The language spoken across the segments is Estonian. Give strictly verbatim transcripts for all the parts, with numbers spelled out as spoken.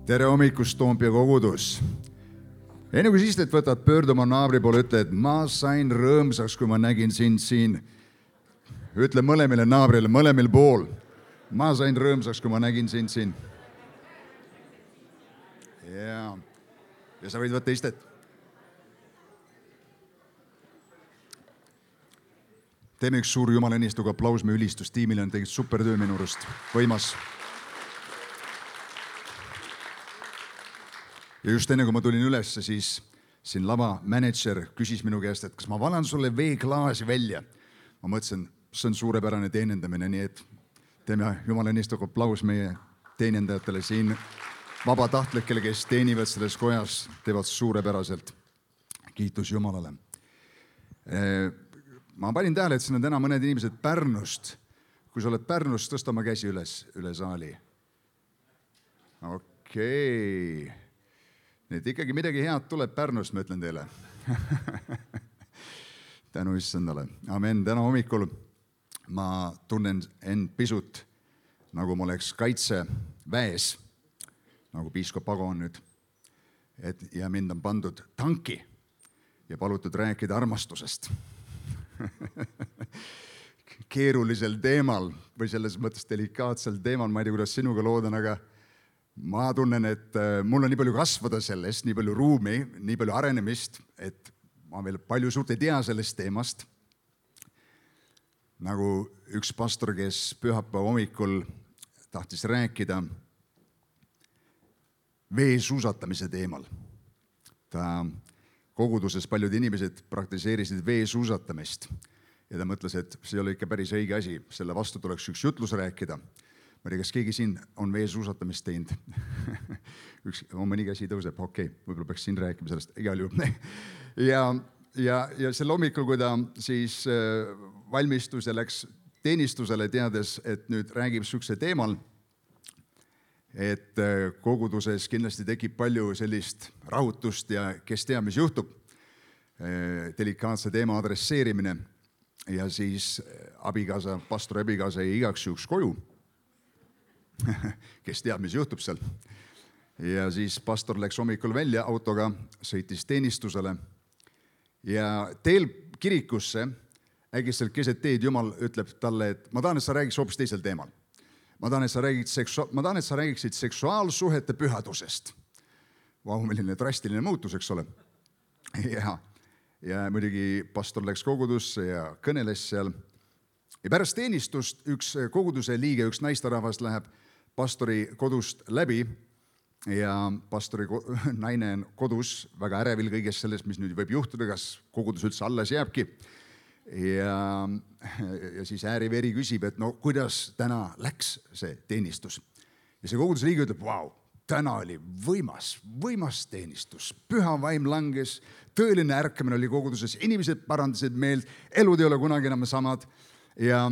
tere hommikust, Toompea kogudus. Enne kui istet võtad, pöördu oma naabri poole, ütle, et ma sain rõõmsaks, kui ma nägin sind siin. Ütle mõlemile naabrile, mõlemil pool. Ma sain rõõmsaks, kui ma nägin sind siin. Ja, ja sa võid võtta istet. Teeme üks suur Jumala õnnistuga aplaus, me ülistustiimile on teinud super töö minu arust. Võimas. Ja just enne, kui ma tulin üles, siis siin lava manager küsis minu käest, et kas ma valan sulle veeklaasi välja. Ma mõtlesin, see on suurepärane teenendamine, nii et teeme Jumala õnnistuga aplaus meie teenendajatele siin, vabatahtlikele, kes teenivad selles kojas, teevad suurepäraselt. Kiitus Jumalale. Ma panin tähele, et siin on täna mõned inimesed Pärnust. Kui sa oled Pärnust, tõsta oma käsi üles, üle saali. Okei. Nii et ikkagi midagi head tuleb Pärnust, ma ütlen teile. Tänu issandale. Amen. Täna hommikul ma tunnen end pisut, nagu ma oleks kaitseväes, nagu piiskop Ago on nüüd. Et, ja mind on pandud tanki ja palutud rääkida armastusest. Keerulisel teemal või selles mõttes delikaatsel teemal, ma ei tea, kuidas sinuga loodan, aga ma tunnen, et mul on nii palju kasvada sellest, nii palju ruumi, nii palju arenemist, et ma veel palju suurt ei tea sellest teemast. Nagu üks pastor, kes pühapäeva hommikul tahtis rääkida veesuusatamise teemal. Ta koguduses paljud inimesed praktiseerisid veesuusatamist ja ta mõtles, et see oli ikka päris õige asi, selle vastu tuleks üks jutlus rääkida. Ma ei tea, kas keegi siin on veesuusatamist teinud. Üks, mõni käsi tõuseb, okei, võib-olla peaks siin rääkima sellest, igal juhul. Ja, ja, ja selle hommikul, kui ta siis valmistus ja läks teenistusele teades, et nüüd räägib sükse teemal, et koguduses kindlasti tekib palju sellist rahutust ja kes teab, mis juhtub, delikaatse teema adresseerimine ja siis abikaasa, pastori abikaasa jäi igaks juhuks koju. Kes teab, mis juhtub seal. Ja siis pastor läks hommikul välja autoga, sõitis teenistusele ja teel kirikusse äkitselt keset teed Jumal ütleb talle, et ma tahan, et sa räägiks hoopis teisel teemal. Ma tahan, et sa räägid seksua- ma tahan, et sa räägiksid seksuaalsuhete pühadusest. Vau, milline drastiline muutus, eks ole. Ja, ja muidugi pastor läks kogudusse ja kõneles seal. Ja pärast teenistust üks koguduse liige, üks naisterahvas läheb pastori kodust läbi ja pastori naine on kodus väga ärevil kõigest sellest, mis nüüd võib juhtuda, kas kogudus üldse alles jääbki. Ja, ja siis ääriveri küsib, et no kuidas täna läks see teenistus. Ja see koguduse liige ütleb, vau, täna oli võimas, võimas teenistus. Püha vaim langes, tõeline ärkamine oli koguduses, inimesed parandasid meelt, elud ei ole kunagi enam samad. Ja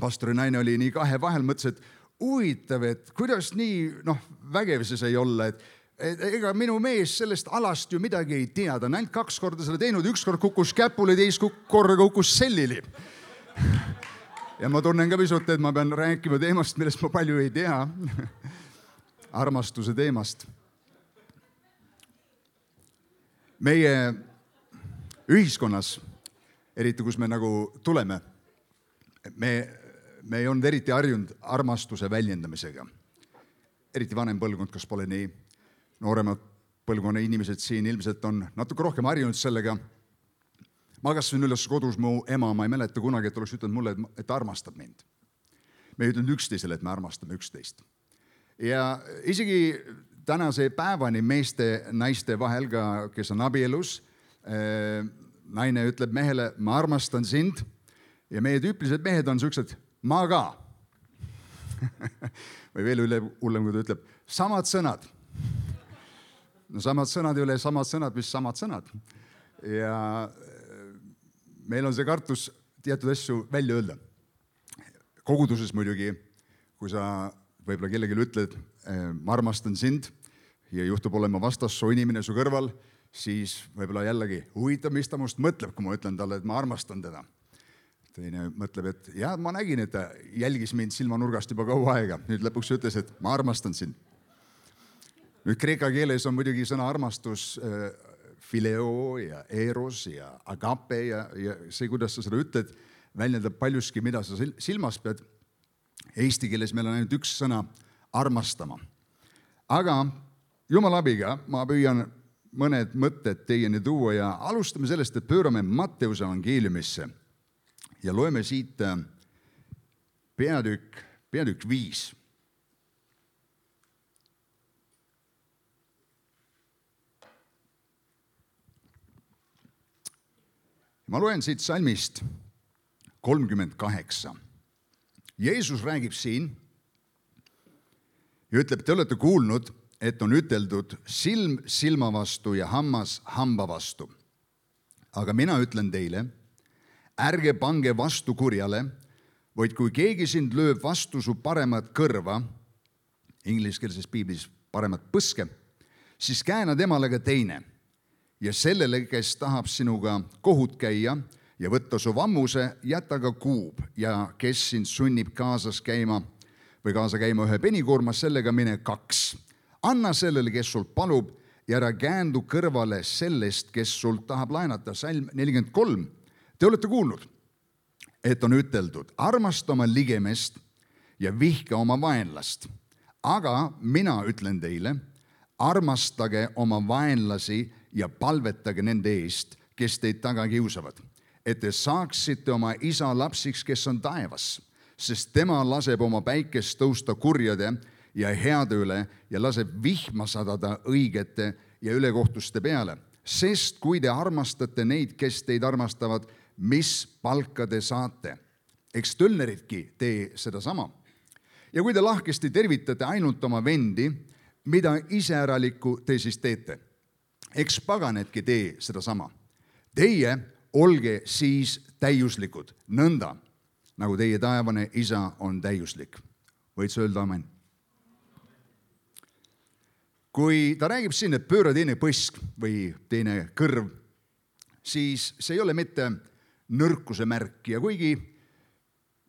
pastori naine oli nii kahe vahel, mõtles, et huvitav, et kuidas nii noh, vägev see sai olla, et et ega minu mees sellest alast ju midagi ei tea, ta on ainult kaks korda selle teinud, üks kord kukkus käpule, teist korda kukkus sellili. Ja ma tunnen ka pisut, et ma pean rääkima teemast, millest ma palju ei tea. Armastuse teemast. Meie ühiskonnas, eriti kus me nagu tuleme, me, me ei olnud eriti harjunud armastuse väljendamisega. Eriti vanem põlvkond, kas pole nii. Nooremad põlvkonna inimesed siin ilmselt on natuke rohkem harjunud sellega. Ma kasvasin üles kodus, mu ema, ma ei mäleta kunagi, et oleks ütelnud mulle, et ta armastab mind. Me ei ütelnud üksteisele, et me armastame üksteist. Ja isegi tänase päevani meeste, naiste vahel ka, kes on abielus, naine ütleb mehele, ma armastan sind ja meie tüüpilised mehed on sellised, ma ka. Või veel üle hullem, kui ta ütleb, samad sõnad. No samad sõnad ei ole samad sõnad, mis samad sõnad. Ja meil on see kartus teatud asju välja öelda. Koguduses muidugi, kui sa võib-olla kellelegi ütled, ma armastan sind ja juhtub olema vastassoo inimene su kõrval, siis võib-olla jällegi huvitav, mis ta must mõtleb, kui ma ütlen talle, et ma armastan teda. Teine mõtleb, et jah, ma nägin, et ta jälgis mind silmanurgast juba kaua aega. Nüüd lõpuks ütles, et ma armastan sind. nüüd kreeka keeles on muidugi sõna armastus phileo ja eros ja agape ja, ja see, kuidas sa seda ütled, väljendab paljuski, mida sa silmas pead. Eesti keeles meil on ainult üks sõna armastama. Aga Jumala abiga ma püüan mõned mõtted teieni tuua ja alustame sellest, et pöörame Matteuse evangeeliumisse ja loeme siit peatükk, peatükk viis. Ma loen siit salmist kolmkümmend kaheksa. Jeesus räägib siin ja ütleb, te olete kuulnud, et on üteldud silm silma vastu ja hammas hamba vastu. Aga mina ütlen teile, ärge pange vastu kurjale, vaid kui keegi sind lööb vastu su paremat kõrva, ingliskeelses piiblis paremat põske, siis kääna temale ka teine. Ja sellele, kes tahab sinuga kohut käia ja võtta su vammuse, jäta ka kuub ja kes sind sunnib kaasas käima või kaasa käima ühe penikoorma, sellega mine kaks. Anna sellele, kes sul palub ja ära käändu kõrvale sellest, kes sul tahab laenata. Salm nelikümmend kolm. Te olete kuulnud, et on üteldud, armasta oma ligemest ja vihka oma vaenlast. Aga mina ütlen teile, armastage oma vaenlasi ja palvetage nende eest, kes teid taga kiusavad, et te saaksite oma isa lapsiks, kes on taevas, sest tema laseb oma päikest tõusta kurjade ja heade üle ja laseb vihma sadada õigete ja ülekohtuste peale. Sest kui te armastate neid, kes teid armastavad, mis palka te saate? Eks tölneridki tee sedasama. Ja kui te lahkesti tervitate ainult oma vendi, mida iseäralikku te siis teete? Eks paganedki tee sedasama. Teie olge siis täiuslikud, nõnda, nagu teie taevane isa on täiuslik. Võid sa öelda amen? Kui ta räägib siin, et pööra teine põsk või teine kõrv, siis see ei ole mitte nõrkuse märk ja kuigi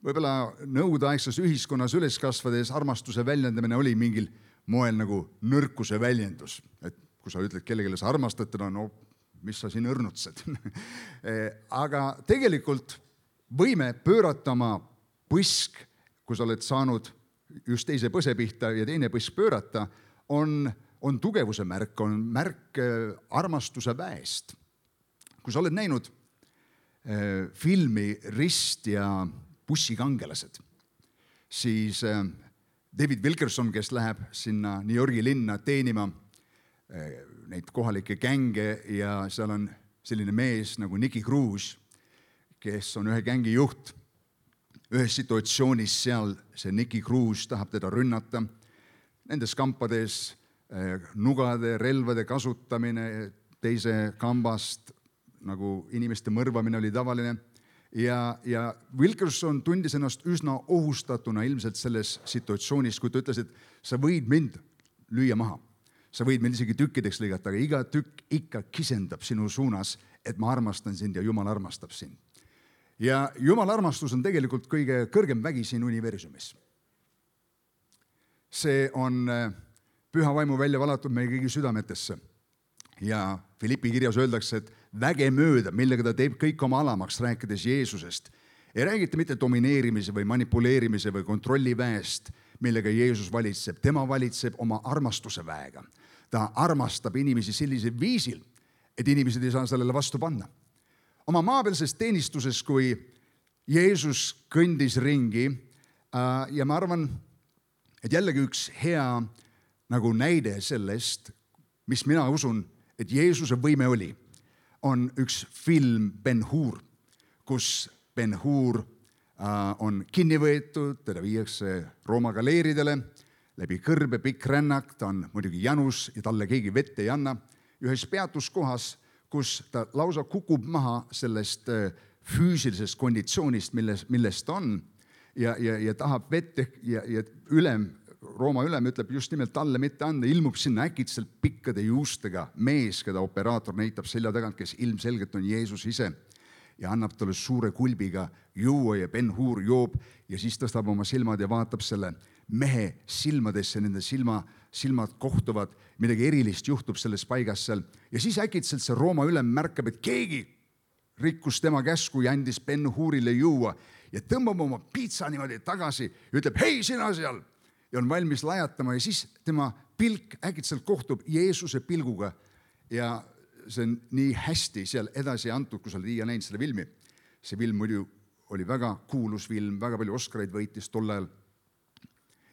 võib-olla nõudeaegses ühiskonnas üles kasvades armastuse väljendamine oli mingil moel nagu nõrkuse väljendus, et kui sa ütled kellegile sa armastad teda, no mis sa siin õrnutsed. Aga tegelikult võime pöörata oma põsk, kui sa oled saanud just teise põse pihta ja teine põsk pöörata, on, on tugevuse märk, on märk armastuse väest. Kui sa oled näinud filmi Rist ja bussikangelased, siis David Wilkerson, kes läheb sinna New Yorgi linna teenima neid kohalikke gänge ja seal on selline mees nagu Nicky Cruz, kes on ühe gängi juht. Ühes situatsioonis seal see Nicky Cruz tahab teda rünnata. Nendes kampades nugade, relvade kasutamine teise kambast, nagu inimeste mõrvamine oli tavaline. Ja, ja Wilkerson tundis ennast üsna ohustatuna ilmselt selles situatsioonis, kui ta ütles, et sa võid mind lüüa maha. Sa võid meil isegi tükkideks lõigata, aga iga tükk ikka kisendab sinu suunas, et ma armastan sind ja Jumal armastab sind. Ja Jumala armastus on tegelikult kõige kõrgem vägi siin universumis. See on püha vaimu välja valatud meie kõigi südametesse. Ja Filippi kirjas öeldakse, et väge mööda, millega ta teeb kõik oma alamaks, rääkides Jeesusest. Ei räägita mitte domineerimise või manipuleerimise või kontrolliväest, millega Jeesus valitseb. Tema valitseb oma armastuse väega. Ta armastab inimesi sellisel viisil, et inimesed ei saa sellele vastu panna. Oma maapealses teenistuses, kui Jeesus kõndis ringi ja ma arvan, et jällegi üks hea nagu näide sellest, mis mina usun, et Jeesuse võime oli, on üks film Ben-Hur, kus Ben-Hur on kinni võetud, teda viiakse Rooma galeeridele, läbi kõrbe pikk rännak, ta on muidugi janus ja talle keegi vett ei anna. Ühes peatuskohas, kus ta lausa kukub maha sellest füüsilisest konditsioonist, millest, millest on ja, ja, ja tahab vett ja, ja ülem, Rooma ülem ütleb just nimelt talle mitte anda, ilmub sinna äkitselt pikkade juustega mees, keda operaator näitab selja tagant, kes ilmselgelt on Jeesus ise. ja annab talle suure kulbiga juua ja Ben-Hur joob ja siis tõstab oma silmad ja vaatab selle mehe silmadesse, nende silma, silmad kohtuvad, midagi erilist juhtub selles paigas seal ja siis äkitselt see Rooma ülem märkab, et keegi rikkus tema käsku ja andis Ben-Hurile juua ja tõmbab oma piitsa niimoodi tagasi ja ütleb, hei sina seal, ja on valmis lajatama ja siis tema pilk äkitselt kohtub Jeesuse pilguga ja see on nii hästi seal edasi antud, kui sa oled iial näinud selle filmi. See film muidu oli väga kuulus film, väga palju Oscareid võitis tol ajal.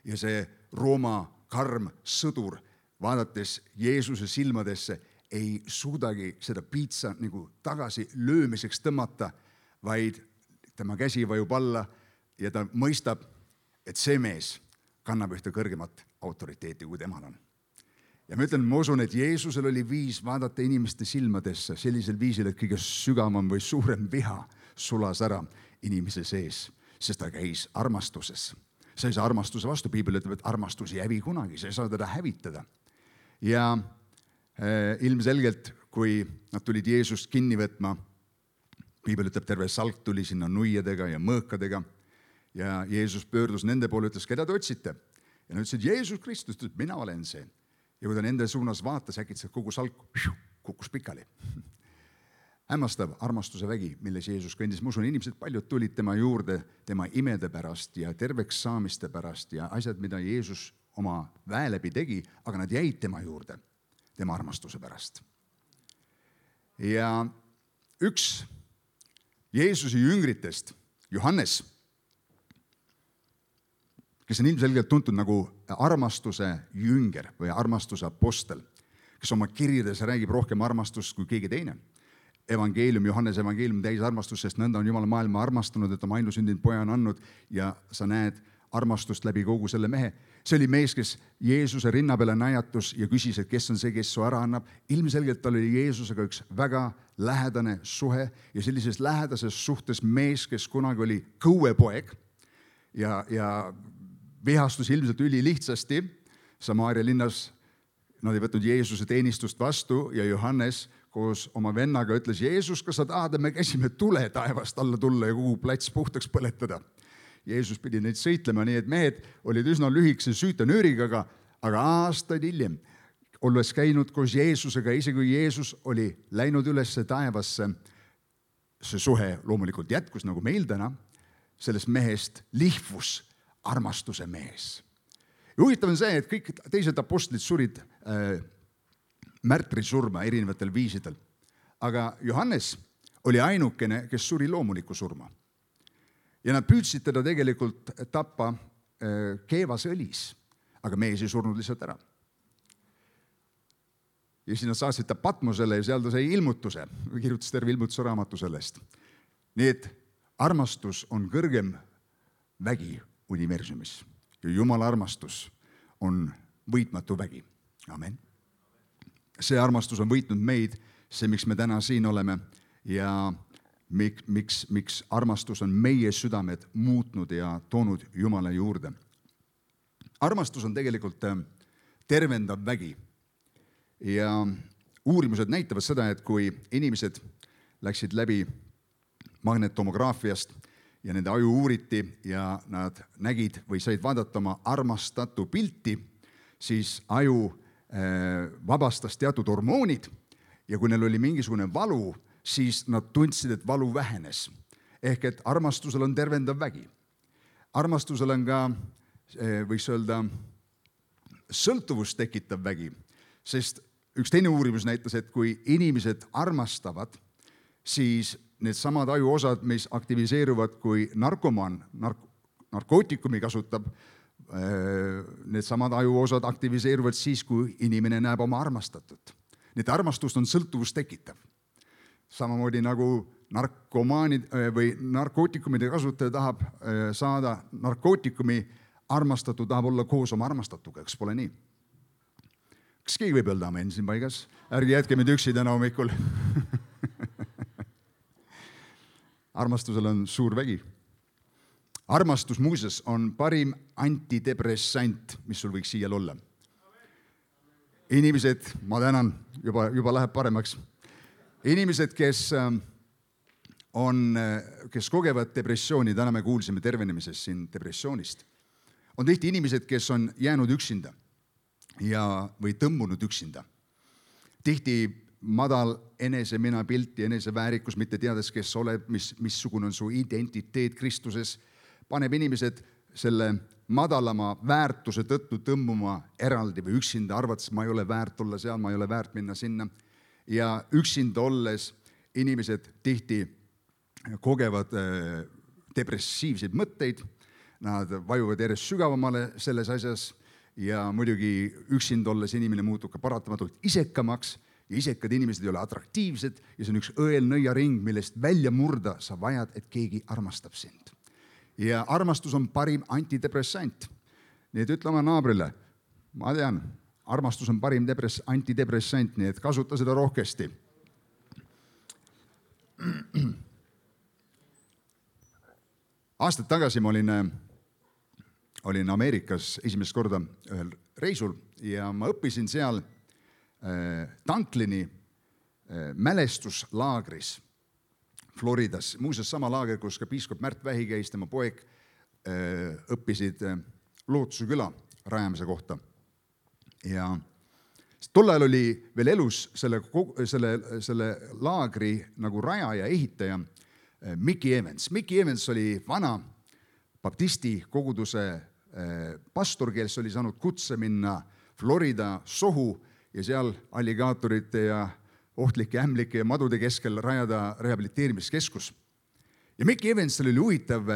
Ja see Rooma karm sõdur, vaadates Jeesuse silmadesse, ei suudagi seda piitsa nagu tagasi löömiseks tõmmata, vaid tema käsi vajub alla ja ta mõistab, et see mees kannab ühte kõrgemat autoriteeti, kui temal on. Ja ma ütlen, ma usun, et Jeesusel oli viis vaadata inimeste silmadesse sellisel viisil, et kõige sügavam või suurem viha sulas ära inimese sees, sest ta käis armastuses. Sa ei saa armastuse vastu, Piibel ütleb, et armastus ei hävi kunagi, sa ei saa teda hävitada. Ja äh, ilmselgelt, kui nad tulid Jeesust kinni võtma, Piibel ütleb, terve salk tuli sinna nuiadega ja mõõkadega ja Jeesus pöördus nende poole, ütles, keda te otsite? Ja nad ütlesid, Jeesus Kristus, ütles, mina olen see. Ja kui ta nende suunas vaatas, äkitselt kogu salk kukkus pikali. Hämmastav armastuse vägi, milles Jeesus kõndis. Ma usun, inimesed paljud tulid tema juurde, tema imede pärast ja terveks saamiste pärast ja asjad, mida Jeesus oma väe läbi tegi, aga nad jäid tema juurde, tema armastuse pärast. Ja üks Jeesuse jüngritest, Johannes, kes on ilmselgelt tuntud nagu armastuse jünger või armastuse apostel, kes oma kirjades räägib rohkem armastust kui keegi teine. Evangeelium, Johannes evangeelium täis armastust, sest nõnda on Jumal maailma armastanud, et oma ainusündinud poja on andnud ja sa näed armastust läbi kogu selle mehe. See oli mees, kes Jeesuse rinna peale najatus ja küsis, et kes on see, kes su ära annab. Ilmselgelt tal oli Jeesusega üks väga lähedane suhe ja sellises lähedases suhtes mees, kes kunagi oli kõuepoeg ja, ja vihastus ilmselt üli lihtsasti. Samaaria linnas nad ei võtnud Jeesuse teenistust vastu ja Johannes koos oma vennaga ütles, Jeesus, kas sa tahad, me käsime tule taevast alla tulla ja kogu plats puhtaks põletada. Jeesus pidi neid sõitlema, nii et mehed olid üsna lühikese süütenööriga, aga, aga aastaid hiljem, olles käinud koos Jeesusega, isegi kui Jeesus oli läinud üles taevasse, see suhe loomulikult jätkus nagu meil täna, sellest mehest lihvus armastuse mees. Ja huvitav on see, et kõik teised apostlid surid äh, märtrisurma erinevatel viisidel. Aga Johannes oli ainukene, kes suri loomuliku surma. Ja nad püüdsid teda tegelikult tappa äh, keevasõlis, aga mees ei surnud lihtsalt ära. Ja siis nad saatsid ta Patmosele ja seal ta sai ilmutuse, kirjutas terve ilmutuse raamatu sellest. Nii et armastus on kõrgem vägi universumis ja Jumala armastus on võitmatu vägi. Amen. See armastus on võitnud meid, see, miks me täna siin oleme ja miks, miks, miks armastus on meie südamed muutnud ja toonud Jumala juurde. Armastus on tegelikult tervendav vägi ja uurimused näitavad seda, et kui inimesed läksid läbi magnetomograafiast ja nende aju uuriti ja nad nägid või said vaadata oma armastatu pilti, siis aju vabastas teatud hormoonid ja kui neil oli mingisugune valu, siis nad tundsid, et valu vähenes. Ehk et armastusel on tervendav vägi. Armastusel on ka, võiks öelda, sõltuvust tekitav vägi, sest üks teine uurimus näitas, et kui inimesed armastavad, siis need samad ajuosad, mis aktiviseeruvad, kui narkomaan nark- narkootikumi kasutab, need samad ajuosad aktiviseeruvad siis, kui inimene näeb oma armastatut. Need armastust on sõltuvust tekitav. Samamoodi nagu narkomaanid või narkootikumide kasutaja tahab saada narkootikumi, armastatu tahab olla koos oma armastatuga, kas pole nii? Kas keegi võib öelda amen siin paigas? Ärge jätke meid üksi täna hommikul. Armastusel on suur vägi. Armastus muuses on parim antidepressant, mis sul võiks siial olla. Inimesed, ma tänan, juba, juba läheb paremaks. Inimesed, kes on, kes kogevad depressiooni, täna me kuulsime tervenemisest siin depressioonist, on tihti inimesed, kes on jäänud üksinda ja, või tõmbunud üksinda. Tihti madal enese minapilt ja eneseväärikus, mitte teades, kes oled, mis, missugune on su identiteet Kristuses, paneb inimesed selle madalama väärtuse tõttu tõmbuma eraldi või üksinda, arvates, ma ei ole väärt olla seal, ma ei ole väärt minna sinna. Ja üksinda olles inimesed tihti kogevad depressiivseid mõtteid, nad vajuvad järjest sügavamale selles asjas ja muidugi üksinda olles inimene muutub ka paratamatult isekamaks ja isekad inimesed ei ole atraktiivsed ja see on üks õelnõiaring, millest välja murda sa vajad, et keegi armastab sind. Ja armastus on parim antidepressant. Nii et ütle oma naabrile, ma tean, armastus on parim depress, antidepressant, nii et kasuta seda rohkesti. Aastad tagasi ma olin, olin Ameerikas esimest korda ühel reisul ja ma õppisin seal Tanklini mälestuslaagris Floridas. Muuseas sama laager, kus ka piiskop Märt Vähi käis, tema poeg õppisid Lootuse küla rajamise kohta. Ja tol ajal oli veel elus selle, selle, selle laagri nagu rajaja, ehitaja Mickey Evans. Mickey Evans oli vana baptisti koguduse pastor, kes oli saanud kutse minna Florida sohu ja seal alligaatorite ja ohtlike ämlike ja madude keskel rajada rehabiliteerimiskeskus. Ja Mickey Evansel oli huvitav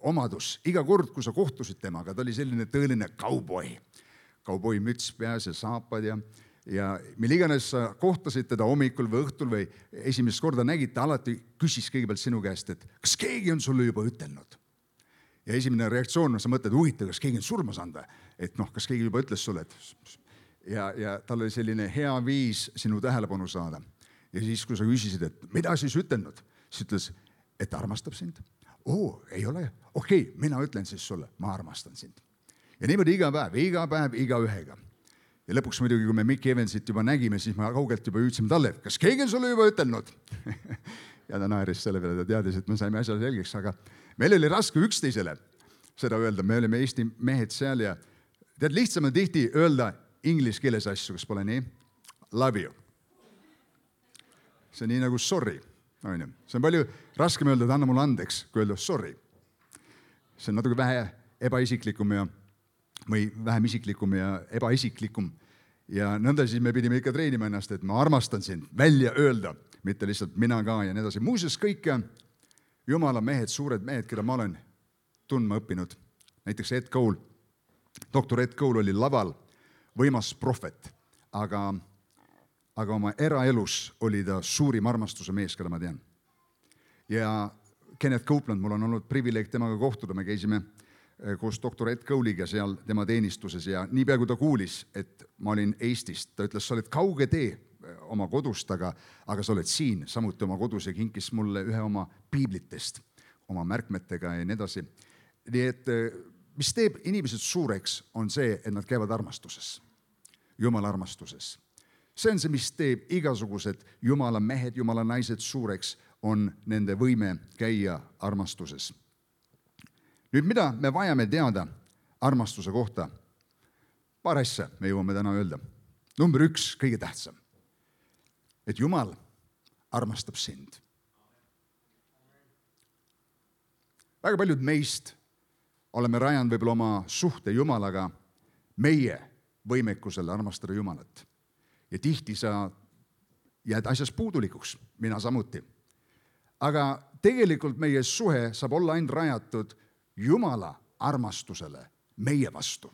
omadus. Iga kord, kui sa kohtusid temaga, ta oli selline tõeline kauboi. Kauboi müts peas ja saapad ja, ja mille iganes sa kohtasid teda hommikul või õhtul või esimest korda nägid, ta alati küsis kõigepealt sinu käest, et kas keegi on sulle juba ütelnud? Ja esimene reaktsioon, sa mõtled, huvitav, kas keegi on surma saanud, et noh, kas keegi juba ütles sulle, et Ja, ja tal oli selline hea viis sinu tähelepanu saada. Ja siis, kui sa küsisid, et mida siis ütelnud, siis ütles, et armastab sind. Oo, ei ole. Okei, okay, mina ütlen siis sulle, ma armastan sind. Ja niimoodi iga päev, iga päev, iga ühega. Ja lõpuks muidugi, kui me Mickey Evansit juba nägime, siis me kaugelt juba hüüdsime talle, et kas keegi on sulle juba ütelnud? Ja ta naeris selle peale, ta teadis, et me saime asja selgeks, aga meil oli raske üksteisele seda öelda. Me olime Eesti mehed seal ja tead, lihtsam on tihti öelda inglise keeles asju, kas pole nii? Love you. See on nii nagu sorry. See on palju raskem öelda, et anna mulle andeks, kui öelda sorry. See on natuke vähe ebaisiklikum ja, või vähem isiklikum ja ebaisiklikum. Ja nõnda siis me pidime ikka treenima ennast, et ma armastan sind välja öelda, mitte lihtsalt mina ka ja nii edasi. Muuseas kõik Jumala mehed, suured mehed, keda ma olen tundma õppinud. Näiteks Ed Cole. Doktor Ed Cole oli laval võimas prohvet, aga, aga oma eraelus oli ta suurim armastuse mees, keda ma tean. Ja Kenneth Copeland, mul on olnud privileeg temaga kohtuda, me käisime koos doktor Ed Cole'iga seal tema teenistuses ja nii pea kui ta kuulis, et ma olin Eestist, ta ütles, sa oled kauge tee oma kodust, aga, aga sa oled siin samuti oma kodus ja kinkis mulle ühe oma piiblitest, oma märkmetega ja nii edasi. Nii et mis teeb inimesed suureks, on see, et nad käivad armastuses, Jumala armastuses. See on see, mis teeb igasugused Jumala mehed, Jumala naised suureks, on nende võime käia armastuses. Nüüd, mida me vajame teada armastuse kohta? Paar asja me jõuame täna öelda. Number üks, kõige tähtsam, et Jumal armastab sind. Väga paljud meist oleme rajanud võib-olla oma suhte Jumalaga meie võimekusele armastada Jumalat. Ja tihti sa jääd asjas puudulikuks, mina samuti. Aga tegelikult meie suhe saab olla ainult rajatud Jumala armastusele meie vastu.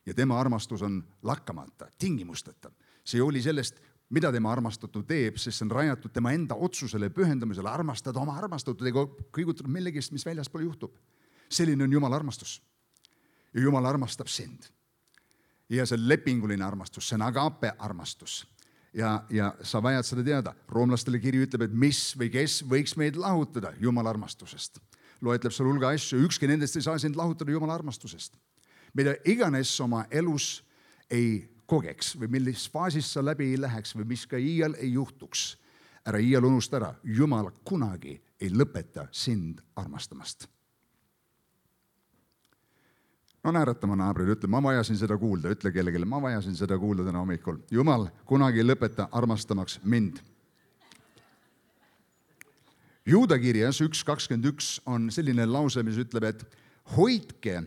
Ja tema armastus on lakkamata, tingimusteta. See oli sellest, mida tema armastatu teeb, sest see on rajatud tema enda otsusele, pühendamisele, armastada oma armastatud, ega kõigutada millegist, mis väljaspool juhtub. Selline on Jumala armastus. Ja Jumal armastab sind. Ja see on lepinguline armastus, see on agape armastus. Ja, ja sa vajad seda teada. Roomlastele kiri ütleb, et mis või kes võiks meid lahutada Jumala armastusest. Loetleb seal hulga asju, ükski nendest ei saa sind lahutada Jumala armastusest. Mida iganes oma elus ei kogeks või millis faasis sa läbi ei läheks või mis ka iial ei juhtuks. Ära iial unusta ära, Jumal kunagi ei lõpeta sind armastamast. No naeratama naabrile, ütle, ma vajasin seda kuulda, ütle kellelegi, ma vajasin seda kuulda täna hommikul. Jumal kunagi ei lõpeta armastamaks mind. Juuda kirjas üks kakskümmend üks on selline lause, mis ütleb, et hoidke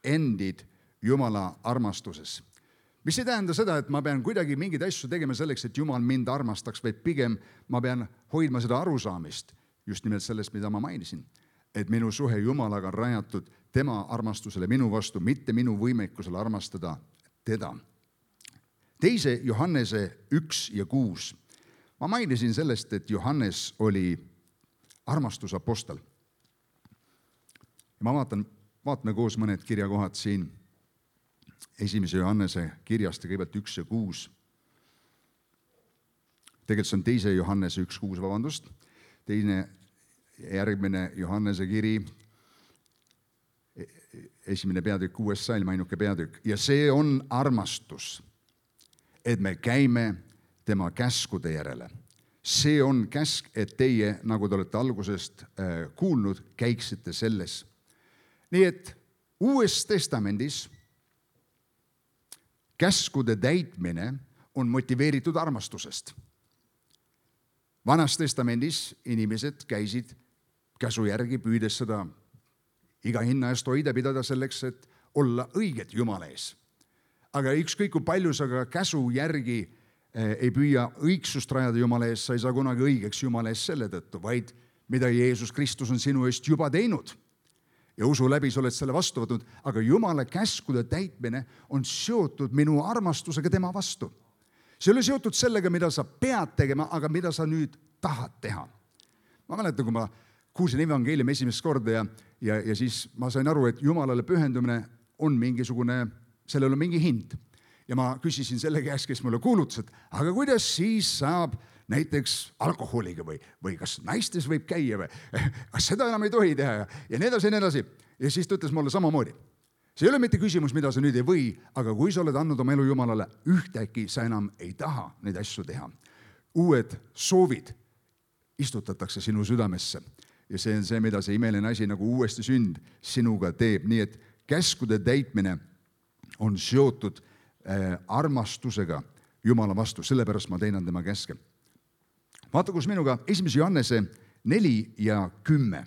endid Jumala armastuses. Mis ei tähenda seda, et ma pean kuidagi mingeid asju tegema selleks, et Jumal mind armastaks, vaid pigem ma pean hoidma seda arusaamist, just nimelt sellest, mida ma mainisin. Et minu suhe Jumalaga on rajatud tema armastusele minu vastu, mitte minu võimekusele armastada teda. Teise Johannese üks ja kuus. Ma mainisin sellest, et Johannes oli armastusapostel. Ma vaatan, vaatame koos mõned kirjakohad siin esimese Johannese kirjast, kõigepealt üks ja kuus. Tegelikult see on teise Johannese üks kuus, vabandust. Teine järgmine Johannese kiri, esimene peatükk, kuues salm, ainuke peatükk. Ja see on armastus, et me käime tema käskude järele. See on käsk, et teie, nagu te olete algusest kuulnud, käiksite selles. Nii et Uues Testamendis käskude täitmine on motiveeritud armastusest. Vanas Testamendis inimesed käisid käsu järgi, püüdes seda iga hinna eest hoida, pidada selleks, et olla õiged Jumala ees. Aga ükskõik kui palju sa ka käsu järgi ei püüa õigsust rajada Jumala ees, sa ei saa kunagi õigeks Jumala ees selle tõttu, vaid mida Jeesus Kristus on sinu eest juba teinud. Ja usu läbi sa oled selle vastu võtnud, aga Jumala käskude täitmine on seotud minu armastusega tema vastu. See ei ole seotud sellega, mida sa pead tegema, aga mida sa nüüd tahad teha. Ma mäletan, kui ma kuulsin evangeeliumi esimest korda ja, ja, ja siis ma sain aru, et Jumalale pühendumine on mingisugune, sellel on mingi hind. Ja ma küsisin selle käest, kes mulle kuulutas, et aga kuidas siis saab näiteks alkoholiga või, või kas naistes võib käia või kas seda enam ei tohi teha ja, ja nii edasi ja nii edasi. Ja siis ta ütles mulle samamoodi. See ei ole mitte küsimus, mida sa nüüd ei või, aga kui sa oled andnud oma elu Jumalale, ühtäkki sa enam ei taha neid asju teha. Uued soovid istutatakse sinu südamesse ja see on see, mida see imeline asi nagu uuesti sünd sinuga teeb. Nii et käskude täitmine on seotud äh, armastusega Jumala vastu, sellepärast ma teinan tema käske. Vaata, kus minuga esimese Johannese neli ja kümme.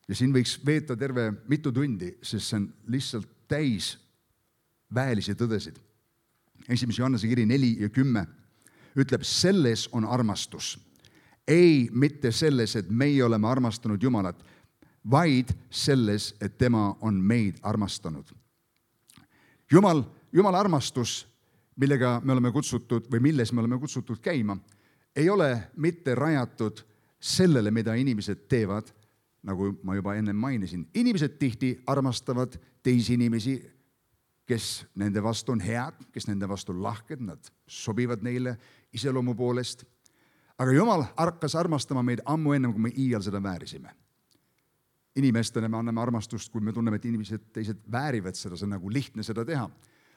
Ja siin võiks veeta terve mitu tundi, sest see on lihtsalt täis väelisi tõdesid. Esimese Johannese kiri neli ja kümme ütleb, selles on armastus. Ei mitte selles, et meie oleme armastanud Jumalat, vaid selles, et tema on meid armastanud. Jumal, Jumala armastus, millega me oleme kutsutud või milles me oleme kutsutud käima, ei ole mitte rajatud sellele, mida inimesed teevad, nagu ma juba enne mainisin. Inimesed tihti armastavad teisi inimesi, kes nende vastu on head, kes nende vastu on lahked, nad sobivad neile iseloomu poolest. Aga Jumal hakkas armastama meid ammu ennem, kui me iial seda väärisime. Inimestena me anname armastust, kui me tunneme, et inimesed teised väärivad seda, see on nagu lihtne seda teha.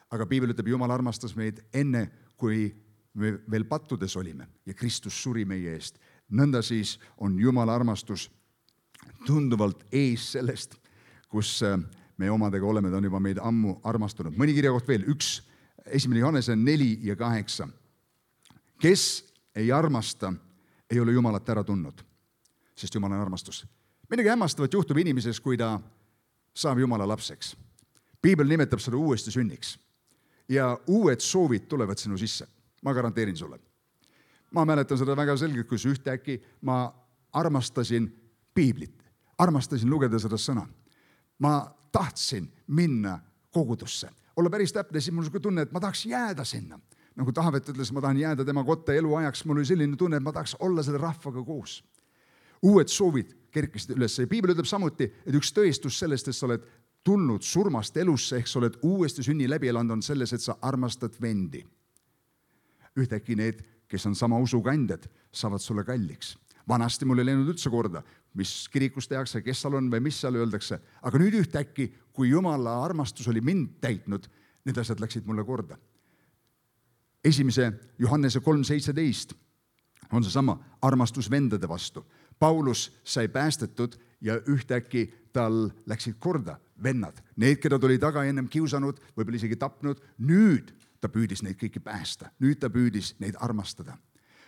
Aga Piibel ütleb, Jumal armastas meid enne, kui me veel pattudes olime ja Kristus suri meie eest. Nõnda siis on Jumala armastus tunduvalt ees sellest, kus me omadega oleme, ta on juba meid ammu armastanud. Mõni kirjakoht veel, üks, esimene Johannese neli ja kaheksa. Kes ei armasta, ei ole Jumalat ära tundnud, sest Jumal on armastus. Midagi hämmastavat juhtub inimeses, kui ta saab Jumala lapseks. Piibel nimetab seda uuesti sünniks ja uued soovid tulevad sinu sisse. Ma garanteerin sulle. Ma mäletan seda väga selgelt, kus ühtäkki ma armastasin Piiblit, armastasin lugeda seda sõna. Ma tahtsin minna kogudusse, olla päris täpne, siis mul oli tunne, et ma tahaks jääda sinna. Nagu Taavet ütles, ma tahan jääda tema kotta eluajaks, mul oli selline tunne, et ma tahaks olla selle rahvaga koos. Uued soovid kerkisid üles ja Piibel ütleb samuti, et üks tõestus sellest, et sa oled tulnud surmast elusse, ehk sa oled uuesti sünni läbi elanud, on selles, et sa armastad vendi. Ühtäkki need, kes on sama usukandjad, saavad sulle kalliks. Vanasti mul ei läinud üldse korda, mis kirikus tehakse, kes seal on või mis seal öeldakse. Aga nüüd ühtäkki, kui Jumala armastus oli mind täitnud, need asjad läksid mulle korda. Esimese Johannese kolm seitseteist on see sama armastus vendade vastu. Paulus sai päästetud ja ühtäkki tal läksid korda vennad. Need, keda tuli taga ennem kiusanud, võib-olla isegi tapnud, nüüd ta püüdis neid kõiki päästa. Nüüd ta püüdis neid armastada.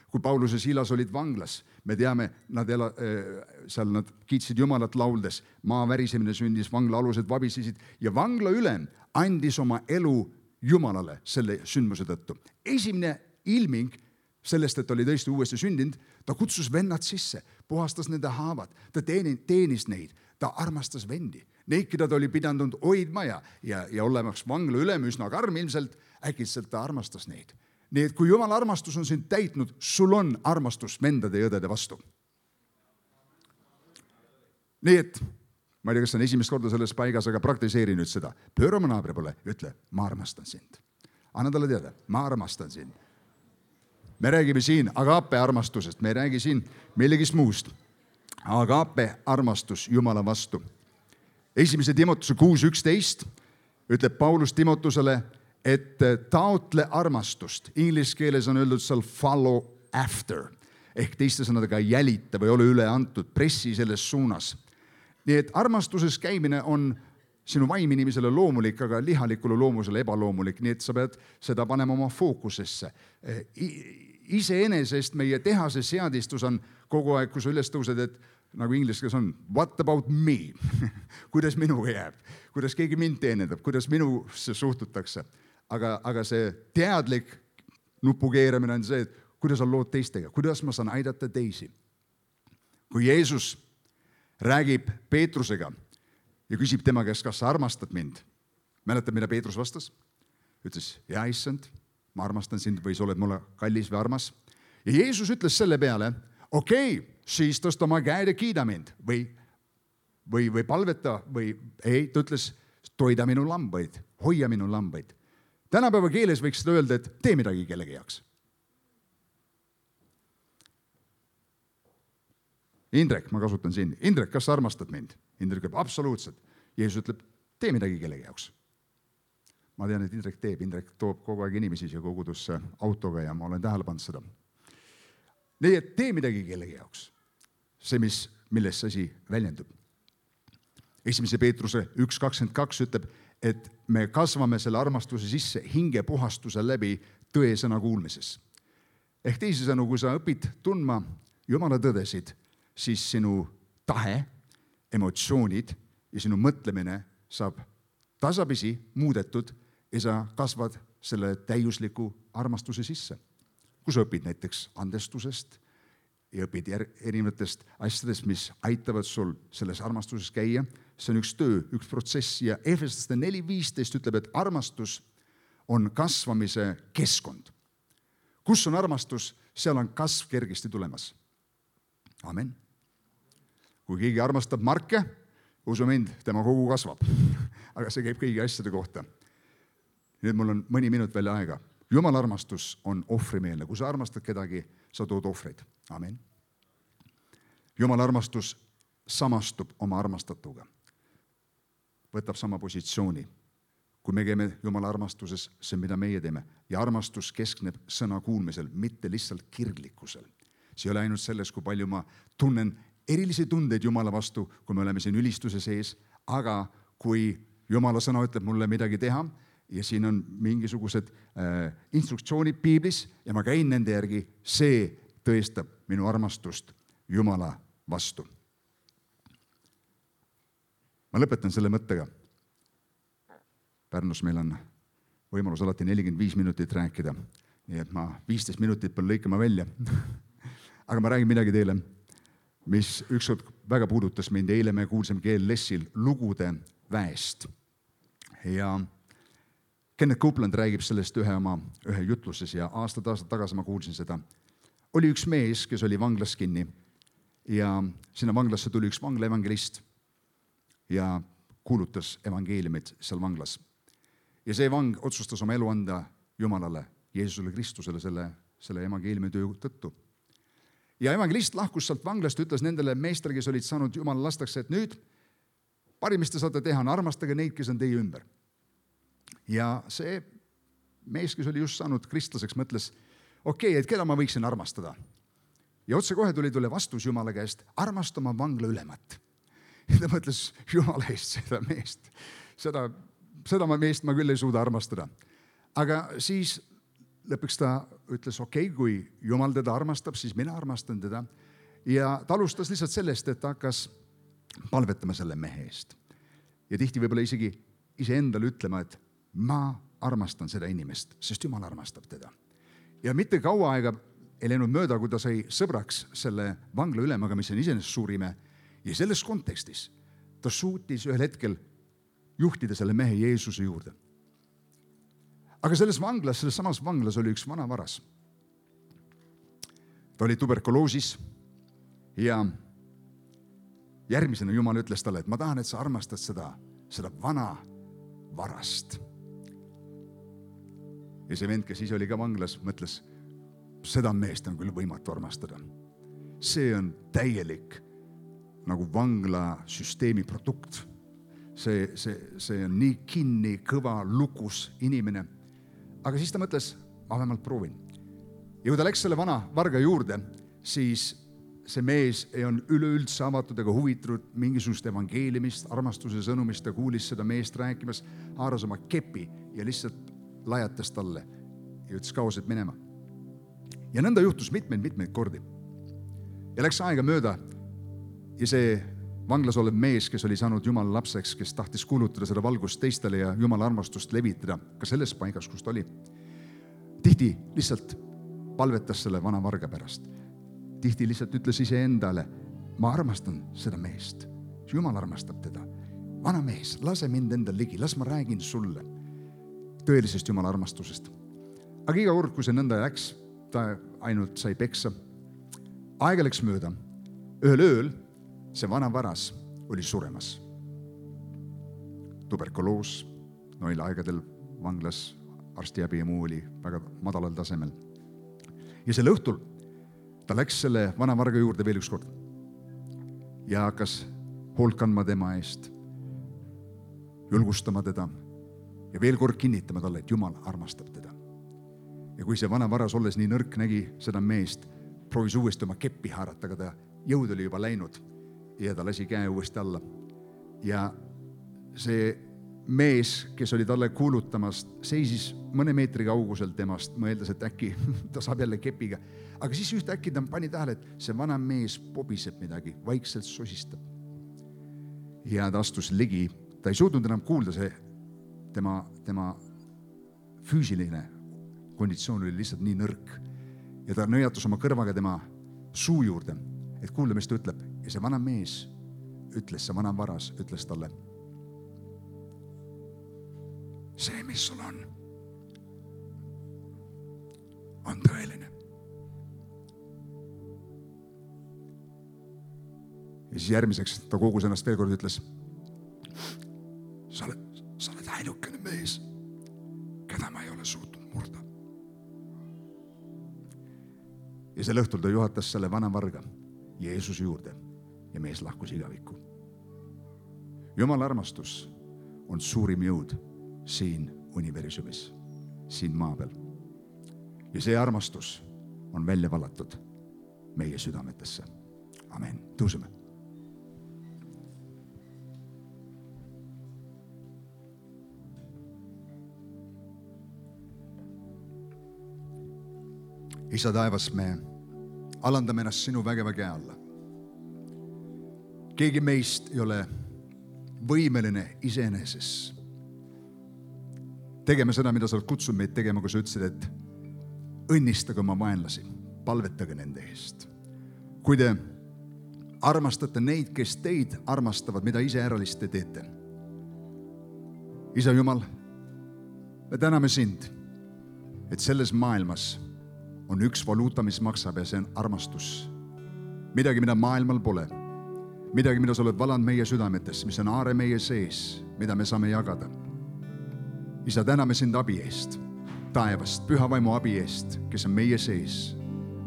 Kui Paulus ja Silas olid vanglas, me teame, nad ela, seal nad kiitsid Jumalat lauldes, maa värisemine sündis, vangla alused vabisesid ja vangla ülem andis oma elu Jumalale selle sündmuse tõttu. Esimene ilming sellest, et oli tõesti uuesti sündinud, ta kutsus vennad sisse, puhastas nende haavad, ta teenis neid, ta armastas vendi. Neid, keda ta oli pidanud hoidma ja, ja, ja olemaks vangla ülem üsna karm ilmselt, äkitselt ta armastas neid. Nii et kui Jumala armastus on sind täitnud, sul on armastus vendade ja õdede vastu. Nii et, ma ei tea, kas on esimest korda selles paigas, aga praktiseeri nüüd seda. Pööra oma naabri poole, ütle, ma armastan sind. Anna talle teada, ma armastan sind. Me räägime siin agape armastusest, me ei räägi siin millegist muust. Agape armastus Jumala vastu. Esimese Timotuse kuus üksteist ütleb Paulus Timotusele, et taotle armastust. Inglise keeles on öeldud seal follow after. Ehk teiste sõnadega jälita või ole üle antud, pressi selles suunas. Nii et armastuses käimine on sinu vaiminisele loomulik, aga lihalikule loomusele ebaloomulik. Nii et sa pead seda panema oma fookusesse. Iseenesest meie tehase seadistus on kogu aeg, kui sa üles tõused, et nagu inglise keeles on, what about me? Kuidas minuga jääb? Kuidas keegi mind teenedab? Kuidas minusse suhtutakse? Aga, aga see teadlik nupukeeramine on see, et kuidas on lood teistega, kuidas ma saan aidata teisi. Kui Jeesus räägib Peetrusega ja küsib tema käest, kas sa armastad mind, mäletad, mida Peetrus vastas? Ütles, ja issand, ma armastan sind või sa oled mulle kallis või armas. Ja Jeesus ütles selle peale, okei, okay, siis tõsta oma käed ja kiida mind või, või, või palveta või ei, ta ütles, toida minu lambaid, hoia minu lambaid. Tänapäeva keeles võiks seda öelda, et tee midagi kellegi jaoks. Indrek, ma kasutan siin. Indrek, kas sa armastad mind? Indrek ütleb, absoluutselt. Jeesus ütleb, tee midagi kellegi jaoks. Ma tean, et Indrek teeb. Indrek toob kogu aeg inimesi siia kogudusse autoga ja ma olen tähele pannud seda. Nii et tee midagi kellegi jaoks. See, mis, milles see asi väljendub. Esimese Peetruse üks kakskümmend kaks ütleb, et me kasvame selle armastuse sisse hingepuhastuse läbi tõesõna kuulmises. Ehk teisisõnu, kui sa õpid tundma Jumala tõdesid, siis sinu tahe, emotsioonid ja sinu mõtlemine saab tasapisi muudetud ja sa kasvad selle täiusliku armastuse sisse. Kui sa õpid näiteks andestusest ja õpid erinevatest asjadest, mis aitavad sul selles armastuses käia, see on üks töö, üks protsess ja Efeslaste neli viisteist ütleb, et armastus on kasvamise keskkond. Kus on armastus, seal on kasv kergesti tulemas. Amen. Kui keegi armastab Marke, usu mind, tema kogu kasvab. Aga see käib kõigi asjade kohta. Nüüd mul on mõni minut veel aega. Jumala armastus on ohvrimeelne. Kui sa armastad kedagi, sa tood ohvreid. Amen. Jumala armastus samastub oma armastatuga. Võtab sama positsiooni. Kui me käime Jumala armastuses, see mida meie teeme. Ja armastus keskneb sõna kuulmisel, mitte lihtsalt kirglikkusel. See ei ole ainult selles, kui palju ma tunnen erilisi tundeid Jumala vastu, kui me oleme siin ülistuse sees, aga kui Jumala sõna ütleb mulle midagi teha ja siin on mingisugused äh, instruktsioonid piiblis ja ma käin nende järgi, see tõestab minu armastust Jumala vastu. Ma lõpetan selle mõttega. Pärnus meil on võimalus alati nelikümmend viis minutit rääkida, nii et ma viisteist minutit pean lõikama välja. Aga ma räägin midagi teile, mis ükskord väga puudutas mind. Eile me kuulsime G L S-il lugude väest. Ja Kenneth Copeland räägib sellest ühe oma ühe jutluses ja aastad aastad tagasi ma kuulsin seda. Oli üks mees, kes oli vanglas kinni ja sinna vanglasse tuli üks vangla evangelist ja kuulutas evangeeliumit seal vanglas. Ja see vang otsustas oma elu anda Jumalale, Jeesusele Kristusele selle, selle evangeeliumi töö tõttu. Ja evangelist lahkus sealt vanglast, ütles nendele meestele, kes olid saanud Jumala lastaks, et nüüd parim, mis te saate teha, on armastage neid, kes on teie ümber. Ja see mees, kes oli just saanud kristlaseks, mõtles, okei, okay, et keda ma võiksin armastada. ja otsekohe tuli tule vastus Jumala käest, armasta oma vangla ülemat. Ja ta mõtles, Jumala eest seda meest, seda, seda meest ma küll ei suuda armastada. Aga siis lõpuks ta ütles, okei, okay, kui Jumal teda armastab, siis mina armastan teda. Ja ta alustas lihtsalt sellest, et ta hakkas palvetama selle mehe eest. Ja tihti võib-olla isegi iseendale ütlema, et ma armastan seda inimest, sest Jumal armastab teda. Ja mitte kaua aega ei läinud mööda, kui ta sai sõbraks selle vangla ülemaga, mis on iseenesest suur ime. Ja selles kontekstis ta suutis ühel hetkel juhtida selle mehe Jeesuse juurde. Aga selles vanglas, selles samas vanglas oli üks vana varas. Ta oli tuberkuloosis ja järgmisena Jumal ütles talle, et ma tahan, et sa armastad seda, seda vana varast. Ja see vend, kes ise oli ka vanglas, mõtles, seda meest on küll võimatu armastada. See on täielik nagu vangla süsteemi produkt. See, see, see on nii kinni, kõva, lukus inimene. Aga siis ta mõtles, ma vähemalt proovin. Ja kui ta läks selle vana varga juurde, siis see mees ei on üleüldse avatud ega huvitunud mingisugust evangeeliumist, armastuse sõnumist, ta kuulis seda meest rääkimas, haaras oma kepi ja lihtsalt lajatas talle ja ütles kaoselt minema. Ja nõnda juhtus mitmeid, mitmeid kordi. Ja läks aega mööda ja see vanglas olev mees, kes oli saanud Jumala lapseks, kes tahtis kuulutada seda valgust teistele ja Jumala armastust levitada ka selles paigas, kus ta oli. Tihti lihtsalt palvetas selle vana varga pärast. Tihti lihtsalt ütles ise endale, ma armastan seda meest. Jumal armastab teda. Vana mees, lase mind enda ligi, las ma räägin sulle tõelisest Jumala armastusest. Aga iga kord, kui see nõnda läks, ta ainult sai peksa. Aega läks mööda. Ühel ööl see vana varas oli suremas. Tuberkuloos, noil aegadel vanglas, arstiabi ja muu oli väga madalal tasemel. Ja selle õhtul ta läks selle vana varga juurde veel üks kord ja hakkas hoolt kandma tema eest, julgustama teda ja veel kord kinnitama talle, et Jumal armastab teda. Ja kui see vana varas olles nii nõrk nägi seda meest, proovis uuesti oma keppi haarata, aga ta jõud oli juba läinud ja ta lasi käe uuesti alla. Ja see mees, kes oli talle kuulutamas, seisis mõne meetri kaugusel temast, mõeldes, et äkki ta saab jälle kepiga. Aga siis üht äkki ta pani tähele, et see vana mees pobiseb midagi, vaikselt sosistab. Ja ta astus ligi, ta ei suutnud enam kuulda, see tema, tema füüsiline konditsioon oli lihtsalt nii nõrk. Ja ta nõjatus oma kõrvaga tema suu juurde, et kuulda, mis ta ütleb. Ja see vana mees ütles, see vana varas ütles talle, see, mis sul on, on tõeline. Ja siis järgmiseks ta kogus ennast veel kord ütles, sa oled, sa oled ainukene mees, keda ma ei ole suutnud murda. Ja sel õhtul ta juhatas selle vana varga Jeesuse juurde ja mees lahkus igavikku. Jumala armastus on suurim jõud siin universumis, siin maa peal. Ja see armastus on välja valatud meie südametesse. Amen. Tõuseme. Isa taevas, me alandame ennast sinu vägeva käe alla. Keegi meist ei ole võimeline iseeneses tegema seda, mida sa oled kutsunud meid tegema, kui sa ütlesid, et õnnistage oma vaenlasi, palvetage nende eest. Kui te armastate neid, kes teid armastavad, mida ise äralist te teete. Isa Jumal, me täname sind, et selles maailmas on üks valuuta, mis maksab ja see on armastus. Midagi, mida maailmal pole. Midagi, mida sa oled valanud meie südametes, mis on aare meie sees, mida me saame jagada. Isa, täname sind abi eest, taevast, püha vaimu abi eest, kes on meie sees,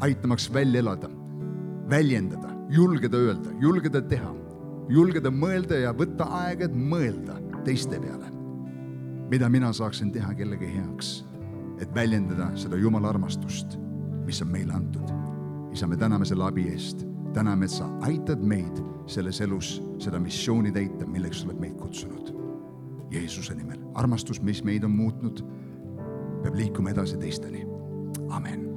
aitamaks välja elada, väljendada, julgeda öelda, julgeda teha, julgeda mõelda ja võtta aega, et mõelda teiste peale. Mida mina saaksin teha kellegi heaks, et väljendada seda Jumala armastust, mis on meile antud. isa, me täname selle abi eest. Täname, et sa aitad meid selles elus seda missiooni täita, milleks oled meid kutsunud. Jeesuse nimel. Armastus, mis meid on muutnud, peab liikuma edasi teisteni. Amen.